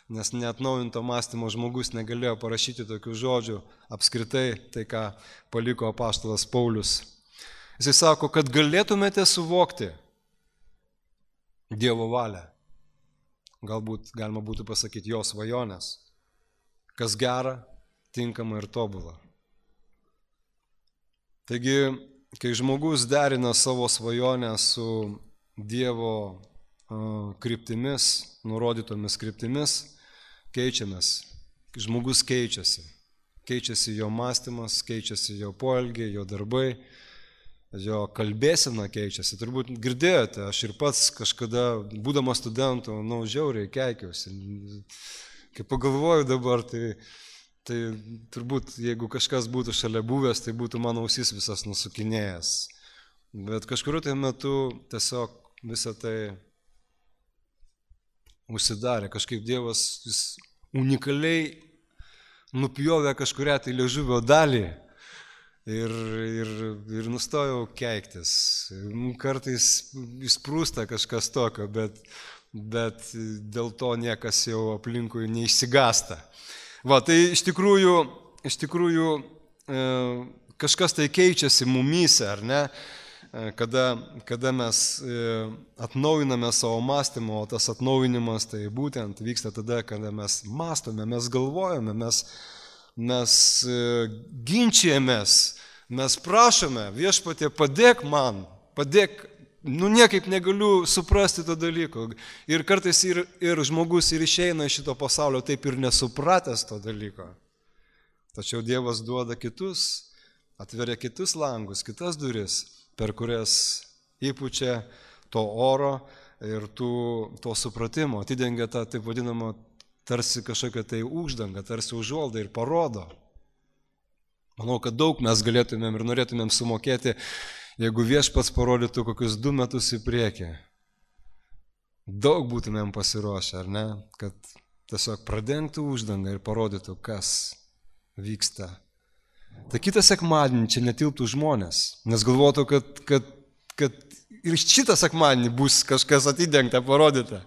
Speaker 1: nes neatnaujinto mąstymo žmogus negalėjo parašyti tokių žodžių apskritai, tai ką paliko apaštalas Paulius. Jisai sako, kad galėtumėte suvokti Dievo valią. Galbūt galima būtų pasakyti jo svajonės, kas gera, tinkama ir tobula. Taigi, kai žmogus derina savo svajonę su Dievo kryptimis, nurodytomis kryptimis, keičiamės. Žmogus keičiasi. Keičiasi jo mąstymas, keičiasi jo poelgiai, jo darbai, jo kalbėsena keičiasi. Turbūt girdėjote, aš ir pats kažkada, būdamas studentu, žiauriai keikiausi. Kai pagalvoju dabar, tai turbūt, jeigu kažkas būtų šalia buvęs, tai būtų mano ausis visas nusukinėjęs. Bet kažkuriuo tai metu tiesiog visą tai užsidarė. Kažkaip Dievas jis unikaliai nupjovė kažkurią tai liežuvio dalį ir nustojau keiktis. Kartais įsprūsta kažkas tokio, bet dėl to niekas jau aplinkui neišsigąsta. Tai iš tikrųjų kažkas tai keičiasi mumyse, ar ne? Kada mes atnaujiname savo mąstymą, o tas atnaujinimas tai būtent vyksta tada, kada mes mąstome, mes galvojame, mes ginčijamės, mes prašome, Viešpatie, padėk man, padėk, niekaip negaliu suprasti to dalyko. Ir kartais ir žmogus ir išeina iš šito pasaulio taip ir nesupratęs to dalyko. Tačiau Dievas duoda kitus, atveria kitus langus, kitas duris, per kurias įpučia to oro ir to supratimo, atidengia tą taip vadinamą tarsi kažkokią tai uždangą, tarsi užuoldą ir parodo. Manau, kad daug mes galėtumėm ir norėtumėm sumokėti, jeigu Viešpats parodytų kokius 2 metus į priekį. Daug būtumėm pasiruošę, ar ne? Kad tiesiog pradengtų uždangą ir parodytų, kas vyksta. Tai kitą sekmadienį čia netilptų žmonės, nes galvotų, kad ir šitą sekmadienį bus kažkas atidengta, parodyta.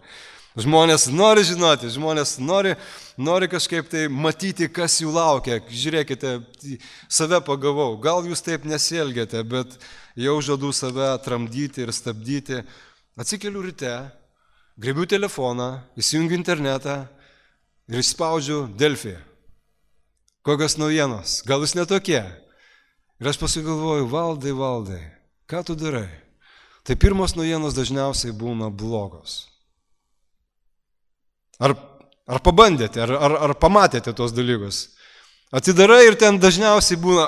Speaker 1: Žmonės nori žinoti, žmonės nori kažkaip tai matyti, kas jų laukia. Žiūrėkite, save pagavau, gal jūs taip nesielgiate, bet jau žadu save tramdyti ir stabdyti. Atsikeliu ryte, griebiu telefoną, įsijungiu internetą ir išspaudžiu Delfį. Kokios naujienos, gal jūs netokie. Ir aš paskui galvoju, Valdai, ką tu darai? Tai pirmos naujienos dažniausiai būna blogos. Ar pabandėte, ar pamatėte tos dalykus? Atidarai ir ten dažniausiai būna,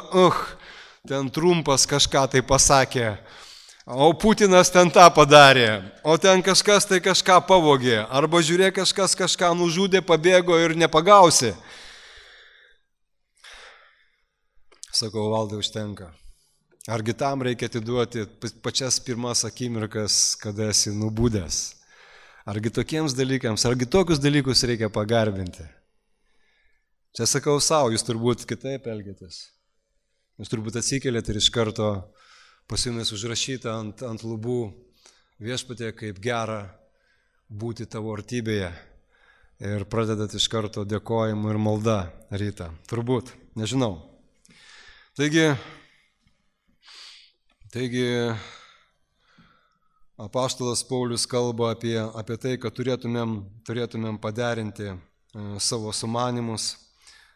Speaker 1: ten Trumpas kažką tai pasakė, o Putinas ten tą padarė, o ten kažkas tai kažką pavogė, arba žiūrėk, kažkas kažką nužudė, pabėgo ir nepagausi. Sakau, Valdai, užtenka. Argi tam reikia atiduoti pačias pirmas akimirkas, kada esi nubudęs? Argi tokiems dalykams, argi tokius dalykus reikia pagarbinti? Čia sakau savo, jūs turbūt kitaip elgiatės. Jūs turbūt atsikeliat ir iš karto pas jumis užrašyta ant lubų, Viešpatie, kaip gera būti tavo artybėje. Ir pradedat iš karto dėkojimu ir malda rytą. Turbūt, nežinau. Taigi apaštalas Paulius kalba apie tai, kad turėtumėm paderinti savo sumanymus,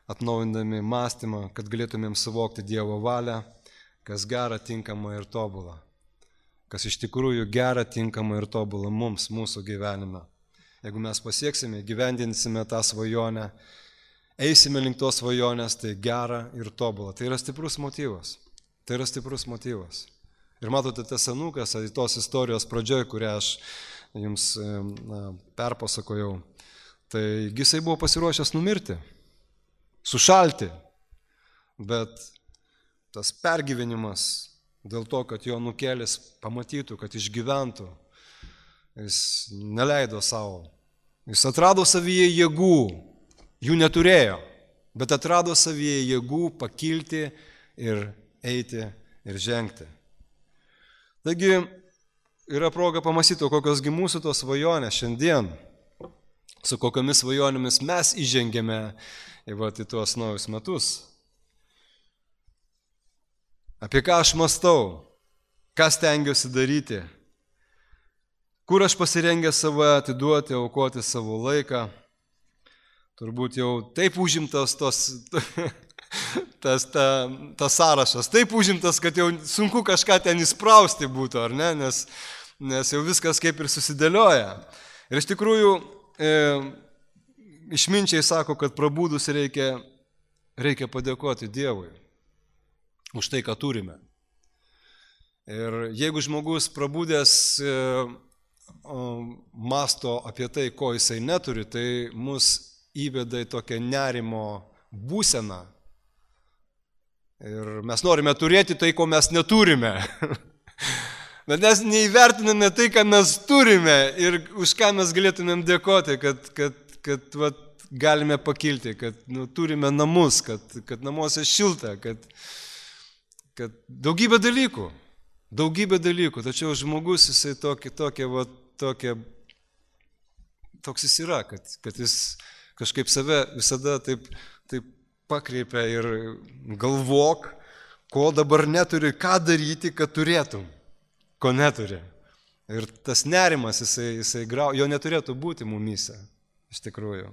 Speaker 1: atnaujindami mąstymą, kad galėtumėm suvokti Dievo valią, kas gera, tinkama ir tobula. Kas iš tikrųjų gera, tinkama ir tobula mums, mūsų gyvenime. Jeigu mes pasieksime, gyvendinsime tą svajonę, eisime link tos svajonės, tai gera ir tobula. Tai yra stiprus motyvas. Ir matote, tas senukas, tos istorijos pradžioj, kurią aš jums perpasakojau, tai jisai buvo pasiruošęs numirti, sušalti, bet tas pergyvenimas dėl to, kad jo nukelis pamatytų, kad išgyventų, jis neleido savo. Jis atrado savyje jėgų, jų neturėjo, bet atrado savyje jėgų pakilti ir eiti ir žengti. Taigi, yra proga pamąstyti, kokios gi mūsų tos svajonės šiandien, su kokiamis svajonėmis mes įžengėme į tuos naujus metus. Apie ką aš mąstau, ką stengiuosi daryti, kur aš pasirengęs save atiduoti, aukoti savo laiką. Turbūt jau taip užimtas tas sąrašas, taip užimtas, kad jau sunku kažką ten įsprausti būtų, ar ne, nes jau viskas kaip ir susidėlioja. Ir iš tikrųjų, išminčiai sako, kad prabudus reikia padėkoti Dievui už tai, ką turime. Ir jeigu žmogus prabudęs masto apie tai, ko jisai neturi, tai mus įveda į tokią nerimo būseną. Ir mes norime turėti tai, ko mes neturime. Bet mes neįvertiname tai, ką mes turime ir už ką mes galėtumėm dėkoti, kad galime pakilti, kad turime namus, kad namuose šilta, kad daugybė dalykų, tačiau žmogus jisai toks jis yra, kad jis kažkaip save visada taip pakreipia ir galvok, ko dabar neturi, ką daryti, kad turėtum, ko neturi. Ir tas nerimas, jisai jo neturėtų būti mumyse, iš tikrųjų.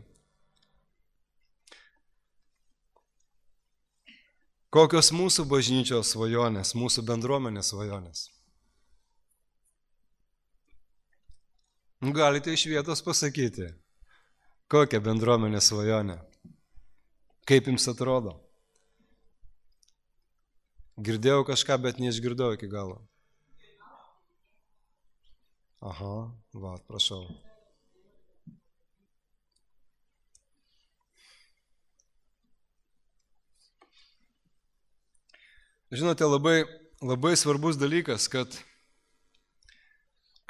Speaker 1: Kokios mūsų bažnyčios svajonės, mūsų bendruomenės svajonės? Galite iš vietos pasakyti, kokia bendruomenės svajonė, kaip jums atrodo. Girdėjau kažką, bet neišgirdau iki galo. Aha, prašau. Žinote, labai svarbus dalykas, kad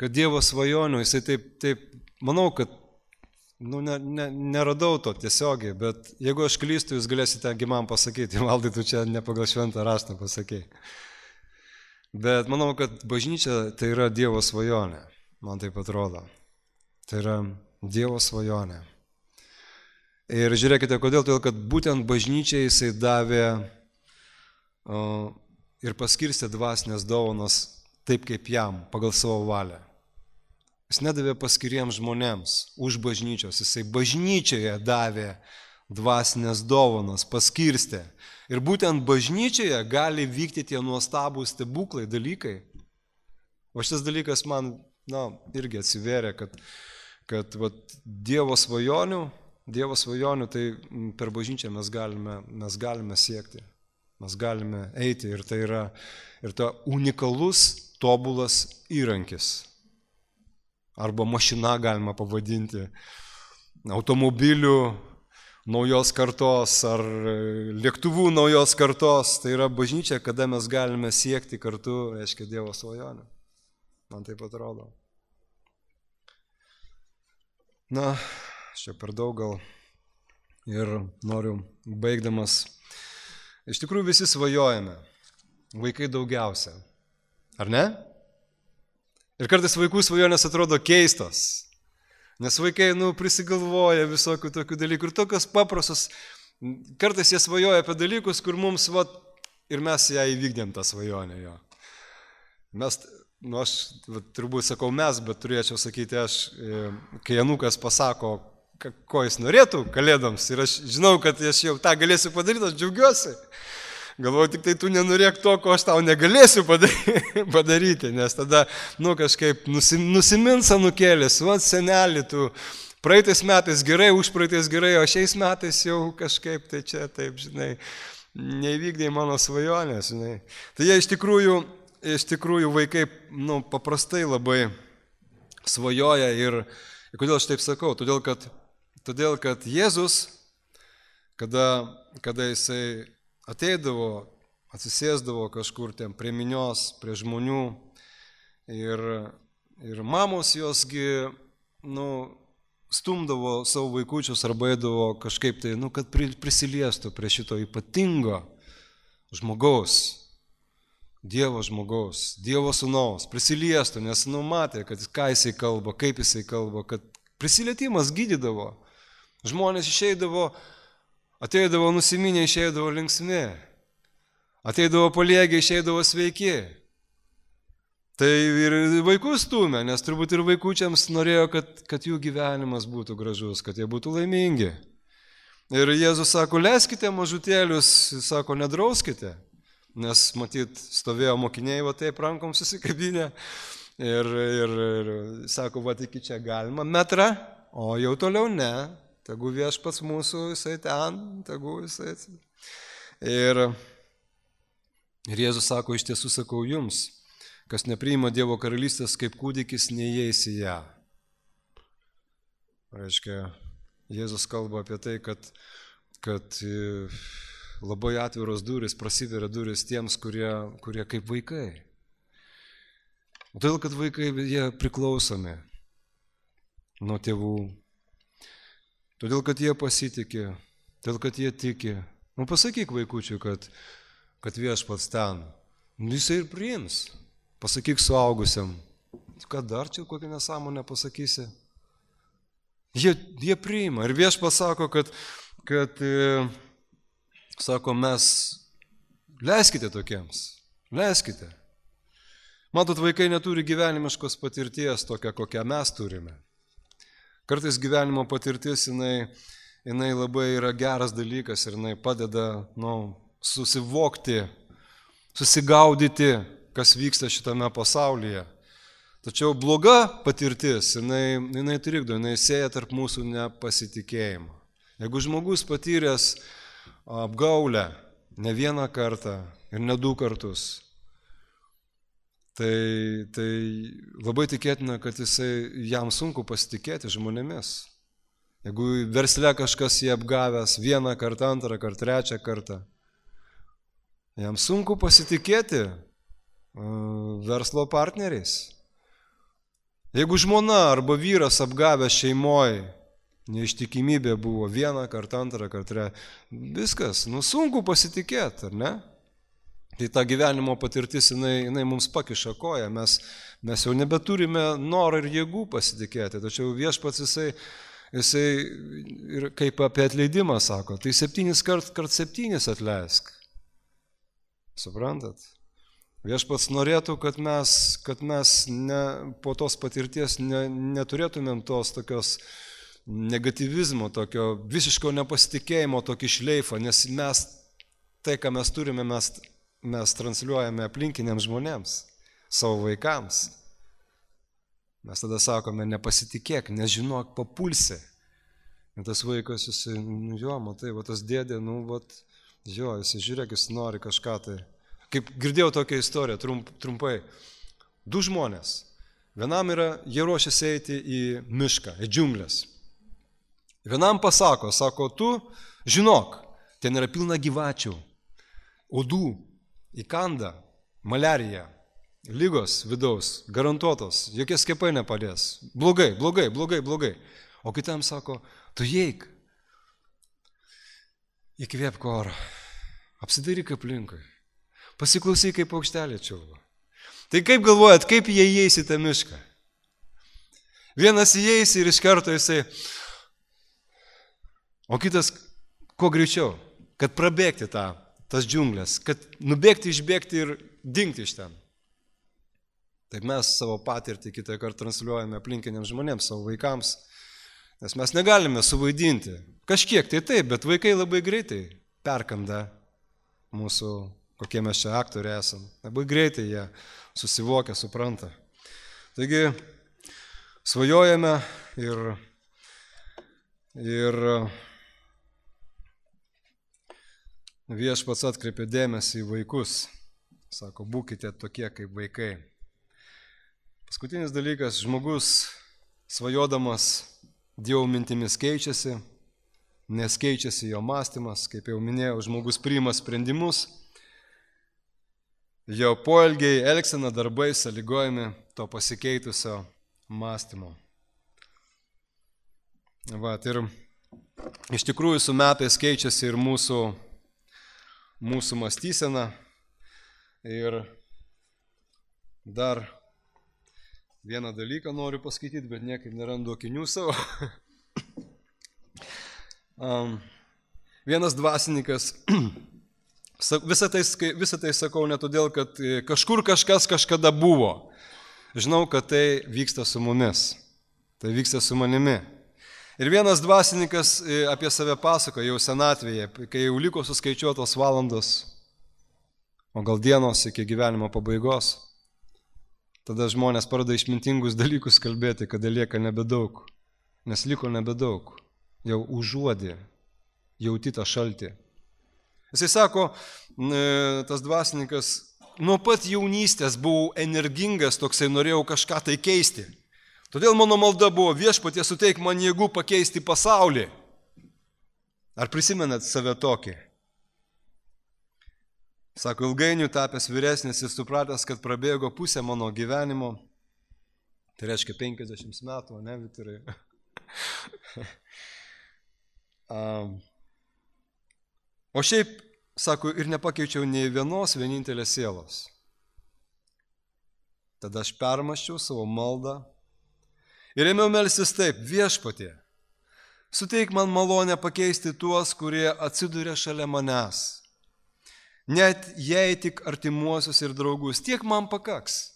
Speaker 1: Dievo svajonių, jisai taip, manau, kad neradau to tiesiogiai, bet jeigu aš klystu, jūs galėsite man pasakyti, Valdai, tu čia ne pagal šventą raštą pasakei. Bet manau, kad bažnyčia tai yra Dievo svajonė, man taip atrodo. Tai yra Dievo svajonė. Ir žiūrėkite, kodėl, todėl, kad būtent bažnyčiai jisai davė ir paskirstė dvasinės dovanos taip, kaip jam, pagal savo valią. Jis nedavė paskiriems žmonėms už bažnyčios, jisai bažnyčioje davė dvasinės dovanos, paskirstė. Ir būtent bažnyčioje gali vykti tie nuostabūs stebuklai, dalykai. O šitas dalykas man, irgi atsivėrė, kad Dievo svajonių, tai per bažnyčią mes galime siekti. Mes galime eiti ir tai yra unikalus, tobulas įrankis. Arba mašina galima pavadinti, automobilių naujos kartos ar lėktuvų naujos kartos. Tai yra bažnyčia, kada mes galime siekti kartu, reiškia, Dievo svajonę. Man taip atrodo. Aš čia per daug gal ir noriu baigdamas. Iš tikrųjų visi svajojame, vaikai daugiausia, ar ne? Ir kartais vaikų svajonės atrodo keistos, nes vaikai prisigalvoja visokių tokių dalykų ir tokios paprastos, kartais jie svajoja apie dalykus, kur mums, ir mes ją įvykdėm tą svajonę jo. Mes, aš turbūt sakau mes, bet turėčiau sakyti aš, kai anūkas pasako, ko jis norėtų kalėdoms ir aš žinau, kad aš jau tą galėsiu padaryti, aš džiaugiuosi. Galvoju, tik tai tu nenorėk to, ko aš tau negalėsiu padaryti, nes tada, kažkaip nusimins anūkėlis, senelį, tu praeitais metais gerai, užpraeitais gerai, o šiais metais jau kažkaip tai čia, taip, žinai, neįvykdė mano svajonės, žinai. Tai jie iš tikrųjų vaikai, paprastai labai svajoja ir kodėl aš taip sakau, todėl kad Jėzus, kada jisai ateidavo, atsisėsdavo kažkur ten prie minios, prie žmonių ir mamos josgi, stumdavo savo vaikučius arba eidavo kažkaip tai, kad prisiliestų prie šito ypatingo žmogaus, Dievo žmogaus, Dievo sūnaus, prisiliestų, nes matė, kad ką jisai kalba, kaip jisai kalba, kad prisilietimas gydydavo. Žmonės išeidavo, ateidavo nusiminę, išeidavo linksmi. Ateidavo paliegę, išeidavo sveiki. Tai ir vaikus stūmė, nes turbūt ir vaikučiams norėjo, kad jų gyvenimas būtų gražus, kad jie būtų laimingi. Ir Jėzus sako, leiskite mažutėlius, sako, nedrauskite. Nes, matyt, stovėjo mokiniai, va taip rankom susikabinę ir sako, va iki čia galima metrą, o jau toliau ne, tegu viešpats mūsų, jisai ten, tegu jisai. Ir Jėzus sako, iš tiesų sakau jums, kas nepriima Dievo karalystės kaip kūdikis, neįeis į ją. Reiškia, Jėzus kalba apie tai, kad labai atviros durys, prasiveria durys tiems, kurie kaip vaikai. Todėl, kad vaikai, jie priklausomi nuo tėvų. Todėl, kad jie pasitikė, todėl, kad jie tiki. Pasakyk vaikučiui, kad viešpats ten. Jisai ir priims. Pasakyk suaugusiam. Kad dar čia kokią nesąmonę pasakysi? Jie priima. Ir viešpats sako, kad sako, mes leiskite tokiems, leiskite. Matot, vaikai neturi gyvenimiškos patirties tokią, kokią mes turime. Kartais gyvenimo patirtis, jinai labai yra geras dalykas ir jinai padeda susivokti, susigaudyti, kas vyksta šitame pasaulyje. Tačiau bloga patirtis, jinai trikdo, jinai sėja tarp mūsų nepasitikėjimą. Jeigu žmogus patyręs apgaulę ne vieną kartą ir ne 2 kartus, tai labai tikėtina, kad jam sunku pasitikėti žmonėmis. Jeigu versle kažkas jį apgavęs 1 kartą, 2 kartą, 3 kartą, jam sunku pasitikėti verslo partneriais. Jeigu žmona arba vyras apgavęs šeimoje, neištikimybė buvo 1 kartą, 2 kartą, viskas, sunku pasitikėti, ar ne? Tai ta gyvenimo patirtis, jinai mums pakiša koją, mes jau nebeturime norą ir jėgų pasitikėti, tačiau viešpats jisai ir kaip apie atleidimą sako, tai 7 kart 7 atleisk. Suprantat? Viešpats norėtų, kad mes po tos patirties neturėtumėm tos tokios negatyvizmo, tokio visiško nepasitikėjimo, tokį šleifą, nes tai, ką mes turime, mes transliuojame aplinkiniams žmonėms, savo vaikams. Mes tada sakome, nepasitikėk, nežinok, papulsi. Ir tas vaikas, jisai, matai, tas dėdė, jisai žiūrėk, jis nori kažką tai. Kaip girdėjau tokią istoriją, trumpai. 2 žmonės. Vienam jie ruošiasi eiti į mišką, į džiunglės. Vienam pasako, tu žinok, ten yra pilna gyvačių, uodų, įkanda, maliarija, lygos vidaus, garantuotos, jokie skiepai nepadės. Blogai. O kitam sako, tu eik, įkvėpk orą, apsidairyk aplinkui, pasiklausyk, kaip paukštelė čiulba. Tai kaip galvojat, kaip jie įeis į tą mišką? Vienas įeis ir iš karto jisai, o kitas kuo greičiau, kad prabėgti tas džiunglės, kad nubėgti, išbėgti ir dingti iš ten. Taip mes savo patirtį kitą kartą transliuojame aplinkiniams žmonėms, savo vaikams, nes mes negalime suvaidinti. Kažkiek tai taip, bet vaikai labai greitai perkanda mūsų, kokie mes čia aktoriai esam. Labai greitai jie susivokia, supranta. Taigi, svajojame ir viešpats atkreipė dėmesį į vaikus. Sako, būkite tokie kaip vaikai. Paskutinis dalykas, žmogus svajodamas Dievo mintimis keičiasi, nes keičiasi jo mąstymas, kaip jau minėjau, žmogus priima sprendimus, jo poelgiai, elgsena, darbai sąlygojami to pasikeitusio mąstymo. Ir iš tikrųjų su metais keičiasi ir mūsų mąstysena ir Dar vieną dalyką noriu paskaityti, bet niekaip nerandu akinių savo. Vienas dvasininkas, visą tai sakau ne todėl, kad kažkur kažkas kažkada buvo. Žinau, kad tai vyksta su mumis, tai vyksta su manimi. Ir vienas dvasininkas apie save pasakoja jau senatvėje, kai jau liko suskaičiuotos valandos, o gal dienos iki gyvenimo pabaigos. Tada žmonės pradeda išmintingus dalykus kalbėti, kada lieka nebedaug, nes liko nebedaug, jau užuodė, jauti tą šaltį. Jisai sako, tas dvasininkas, nuo pat jaunystės buvau energingas, toksai norėjau kažką tai keisti. Todėl mano malda buvo, Viešpatie, suteik man jėgų pakeisti pasaulį. Ar prisimenat save tokį? Sako, ilgainiui tapęs vyresnis ir supratęs, kad prabėgo pusę mano gyvenimo, tai reiškia 50 metų, ne, Viktorai? O šiaip, sako, ir nepakeičiau nei vienos vienintelės sielos. Tada aš permąsčiau savo maldą ir ėmiau melstis taip, Viešpatie, suteik man malonę pakeisti tuos, kurie atsiduria šalia manęs. Net jei tik artimuosius ir draugus, tiek man pakaks.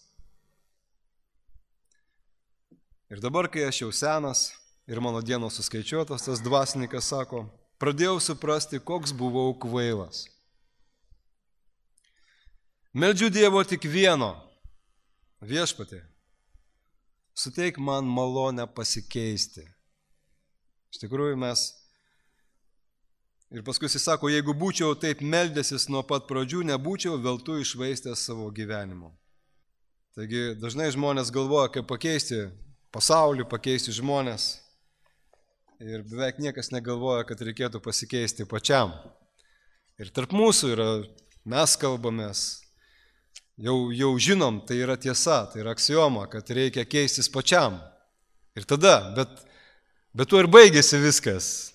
Speaker 1: Ir dabar, kai aš jau senas ir mano dienos suskaičiuotos, tas dvasininkas sako, pradėjau suprasti, koks buvau kvailas. Meldžiu Dievo tik vieno, Viešpatie, suteik man malonę pasikeisti. Iš tikrųjų mes. Ir paskui jis sako, jeigu būčiau taip meldęsis nuo pat pradžių, nebūčiau veltui išvaistęs savo gyvenimo. Taigi dažnai žmonės galvoja, kaip pakeisti pasaulį, pakeisti žmonės. Ir beveik niekas negalvoja, kad reikėtų pasikeisti pačiam. Ir tarp mūsų yra, mes kalbamės, jau žinom, tai yra tiesa, tai yra aksioma, kad reikia keistis pačiam. Ir tada, bet tuo ir baigėsi viskas.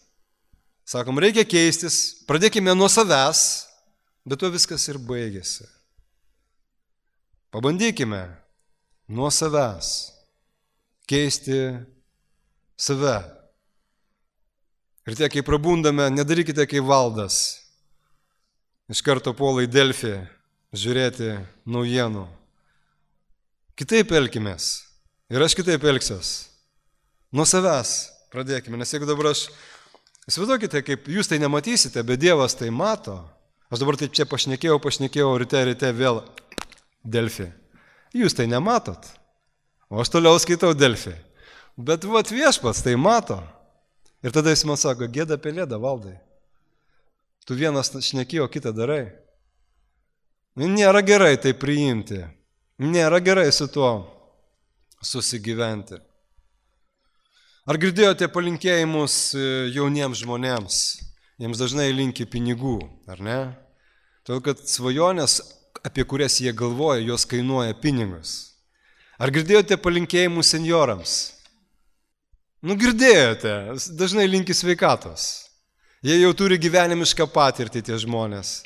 Speaker 1: Sakom, reikia keistis, pradėkime nuo savęs, bet tuo viskas ir baigėsi. Pabandykime nuo savęs keisti save. Ir tie, kai prabundame, nedarykite kaip Valdas. Iš karto puola į Delfį žiūrėti naujienų. Kitaip elkimės. Ir aš kitaip elgsiuos. Nuo savęs pradėkime, nes jeigu dabar aš įsivaizduokite, kaip jūs tai nematysite, bet Dievas tai mato. Aš dabar taip čia pašnekėjau, ryte vėl Delfį. Jūs tai nematot, o aš toliau skaitau Delfį. Bet Viešpats tai mato. Ir tada jis man sako, gėda pelėda, Valdai. Tu vienas šnekėjo, kitą darai. Nėra gerai tai priimti. Nėra gerai su tuo susigyventi. Ar girdėjote palinkėjimus jauniems žmonėms? Jiems dažnai linki pinigų, ar ne? Todėl, kad svajonės, apie kurias jie galvoja, jos kainuoja pinigus. Ar girdėjote palinkėjimus senjorams? Girdėjote, dažnai linki sveikatos. Jie jau turi gyvenimišką patirtį, tie žmonės.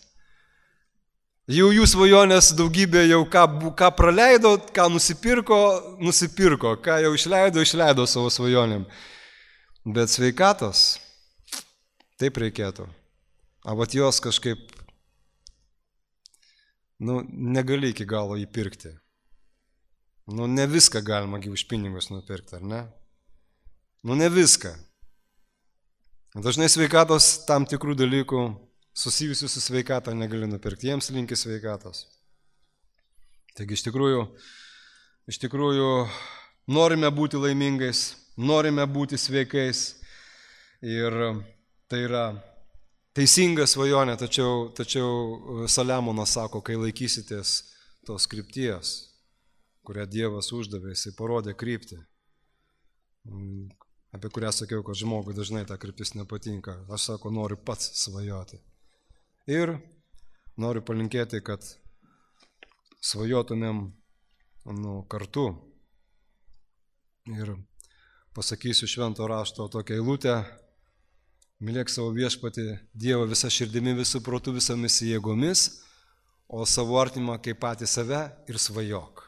Speaker 1: Jau jų svajonės daugybė jau ką praleido, ką nusipirko, ką jau išleido savo svajonėm. Bet sveikatos, taip reikėtų. O jos kažkaip, negali iki galo įpirkti. Ne viską galima už pinigus nupirkti, ar ne? Ne viską. Dažnai sveikatos tam tikrų dalykų susijusių su sveikata negali nupirkti, jiems linki sveikatos. Taigi iš tikrųjų norime būti laimingais, norime būti sveikais ir tai yra teisinga svajonė, tačiau Saliamonas sako, kai laikysitės tos krypties, kurią Dievas uždavė, jisai parodė kryptį, apie kurią sakiau, kad žmogui dažnai ta kryptis nepatinka. Aš sako, noriu pats svajoti. Ir noriu palinkėti, kad svajotumėm kartu. Ir pasakysiu švento rašto tokią eilutę. Mylėk savo Viešpatį Dievą visą širdimi, visų protų, visomis jėgomis, o savo artimą kaip patį save ir svajok.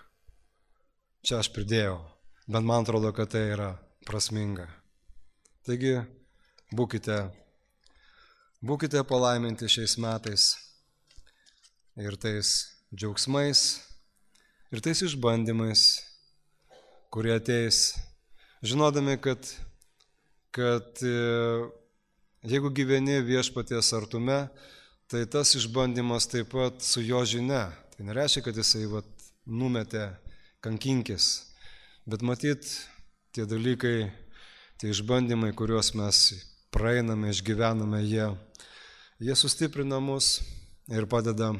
Speaker 1: Čia aš pridėjau, bet man atrodo, kad tai yra prasminga. Taigi, būkite palaiminti šiais metais ir tais džiaugsmais, ir tais išbandymais, kurie ateis, žinodami, kad jeigu gyveni viešpaties artume, tai tas išbandymas taip pat su jo žinia. Tai nereiškia, kad jisai numetė kankinkis, bet matyt, tie dalykai, tie išbandymai, kuriuos mes praeiname, išgyvename, jie sustiprina mus ir padeda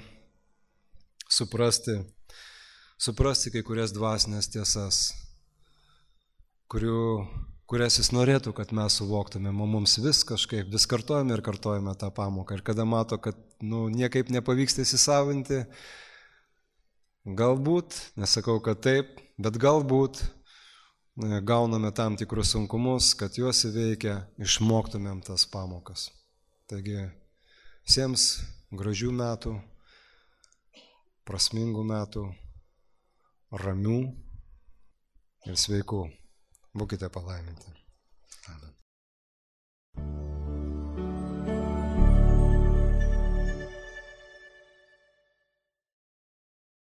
Speaker 1: suprasti kai kurias dvasinės tiesas, kurias jis norėtų, kad mes suvoktumėm, o mums vis kartojame ir kartojame tą pamoką. Ir kada mato, kad niekaip nepavyksta įsisavinti, galbūt, nesakau, kad taip, bet galbūt gauname tam tikrus sunkumus, kad juos įveikę išmoktumėm tas pamokas. Taigi, visiems gražių metų, prasmingų metų, ramių ir sveikų. Būkite palaiminti. Amen.